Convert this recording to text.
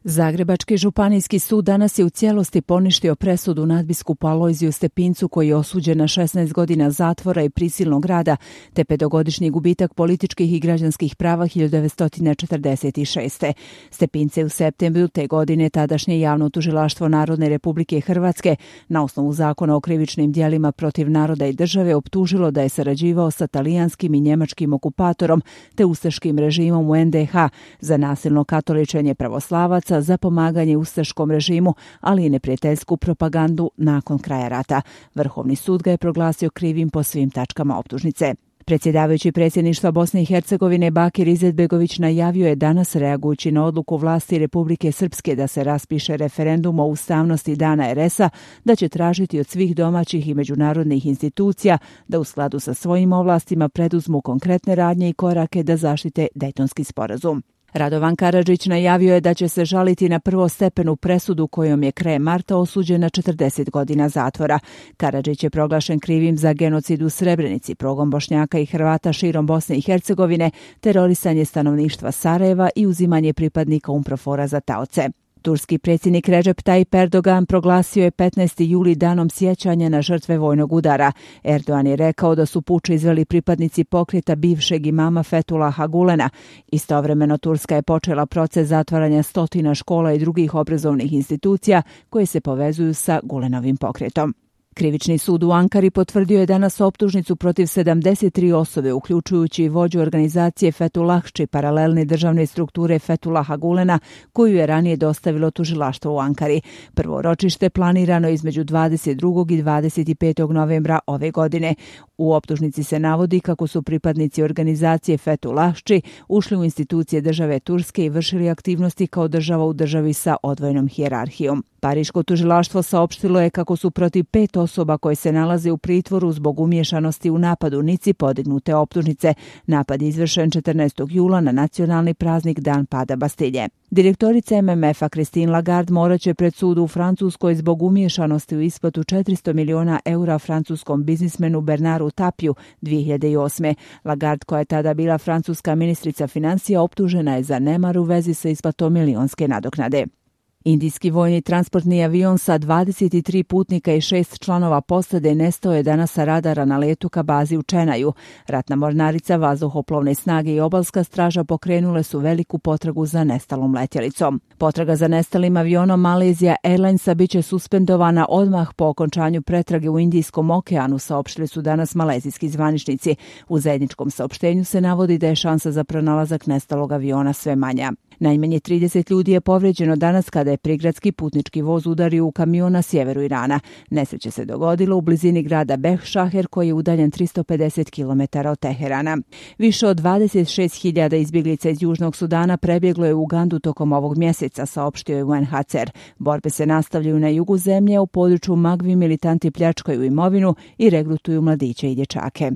Zagrebački županijski sud danas je u cijelosti poništio presudu nadbiskupu Alojziju Stepincu koji je osuđen na 16 godina zatvora i prisilnog rada te 5-godišnji gubitak političkih i građanskih prava 1946. Stepince u septembru te godine tadašnje javno tužilaštvo Narodne Republike Hrvatske na osnovu zakona o krivičnim djelima protiv naroda i države optužilo da je sarađivao sa talijanskim i njemačkim okupatorom te ustaškim režimom u NDH za nasilno katoličenje pravoslavaca, za pomaganje ustaškom režimu, ali i neprijateljsku propagandu nakon kraja rata. Vrhovni sud ga je proglasio krivim po svim tačkama optužnice. Predsjedavajući predsjedništva Bosne i Hercegovine Bakir Izetbegović najavio je danas, reagujući na odluku vlasti Republike Srpske da se raspiše referendum o ustavnosti Dana RS-a, da će tražiti od svih domaćih i međunarodnih institucija da u skladu sa svojim ovlastima preduzmu konkretne radnje i korake da zaštite Dejtonski sporazum. Radovan Karadžić najavio je da će se žaliti na prvostepenu presudu kojom je krajem marta osuđen na 40 godina zatvora. Karadžić je proglašen krivim za genocid u Srebrenici, progon Bošnjaka i Hrvata širom Bosne i Hercegovine, terorisanje stanovništva Sarajeva i uzimanje pripadnika UNPROFOR-a za taoce. Turski predsjednik Recep Tayyip Erdogan proglasio je 15. juli danom sjećanja na žrtve vojnog udara. Erdogan je rekao da su puč izveli pripadnici pokreta bivšeg imama Fethullaha Gulena. Istovremeno Turska je počela proces zatvaranja stotina škola i drugih obrazovnih institucija koje se povezuju sa Gulenovim pokretom. Krivični sud u Ankari potvrdio je danas optužnicu protiv 73 osobe, uključujući vođu organizacije Fethullahči, paralelne državne strukture Fethullaha Gulena, koju je ranije dostavilo tužilaštvo u Ankari. Prvo ročište planirano između 22. i 25. novembra ove godine. U optužnici se navodi kako su pripadnici organizacije Fethullahči ušli u institucije države Turske i vršili aktivnosti kao država u državi sa odvojenom hijerarhijom. Pariško tužilaštvo saopštilo je kako su protiv 5 osoba koje se nalaze u pritvoru zbog umiješanosti u napad u Nici podignute optužnice. Napad je izvršen 14. jula na nacionalni praznik Dan pada Bastilje. Direktorica MMF-a Christine Lagarde morat će pred sudu u Francuskoj zbog umiješanosti u isplatu 400 miliona eura francuskom biznismenu Bernardu Tapiju 2008. Lagarde, koja je tada bila francuska ministrica financija, optužena je za nemar u vezi sa isplatom milionske nadoknade. Indijski vojni transportni avion sa 23 putnika i 6 članova posade nestao je danas sa radara na letu ka bazi u Čenaju. Ratna mornarica, vazduhoplovne snage i obalska straža pokrenule su veliku potragu za nestalom letjelicom. Potraga za nestalim avionom Malaysia Airlinesa biće suspendovana odmah po okončanju pretrage u Indijskom okeanu, saopštili su danas malezijski zvaničnici. U zajedničkom saopštenju se navodi da je šansa za pronalazak nestalog aviona sve manja. Najmanje 30 ljudi je povrijeđeno danas kada je prigradski putnički voz udario u kamion na sjeveru Irana. Nesreća se dogodila u blizini grada Behšaher koji je udaljen 350 km od Teherana. Više od 26.000 izbjeglica iz Južnog Sudana prebjeglo je u Ugandu tokom ovog mjeseca, saopštio je UNHCR. Borbe se nastavljaju na jugu zemlje, u području Magvi militanti pljačkaju imovinu i regrutuju mladiće i dječake.